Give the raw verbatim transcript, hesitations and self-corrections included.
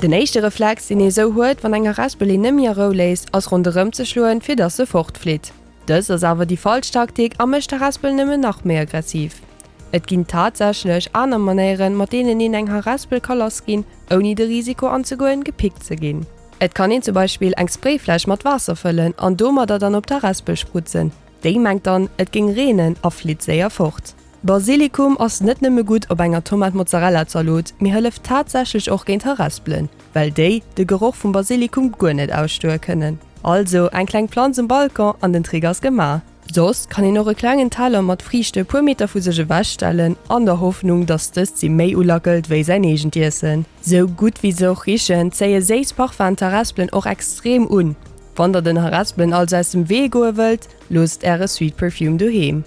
Den éischte Reflex, deen ee sou huet, wann eng Harespel een net méi a Rou léisst, ass ronderëm ze schloen, fir dass se fortflitt. Dëst ass awer déi falsch Taktik a mécht d'Harespel nëmmen nach méi aggressiv. Et ginn tatsächlech aner Manéieren, mat deenen een eng Harespel ka lass ginn, ouni de Risiko anzegoen, gepickt ze ginn. Et kann een zum Beispill eng Sprayfläsch mat Waasser fëllen an domadder dann op d'Harespel sprutzen. Déi mengt dann, et géing reenen a flitt séier fort. Basilikum ass net nëmme gutt op enger Tomat-Mozzarella-Zalot, mee hëlleft tatsächlech och géint Harespelen, well déi de Geroch vum Basilikum guer net ausstoe kënnen. Also eng kleng Planz um Balcon an den Trick ass gemaach. Soss kann een och e klengen Teller mat Friichte e puer Meter vu sech ewech stellen, an der Hoffnung, dass dëst si méi ulackelt wéi säin eegent Iessen. Sou gutt wéi se och richen, zéie séiss Parfum d'Harespelen och extrem un. Wann der den Harespelen also aus dem Wee goe wëllt, loosst äre Sweet Perfume doheem.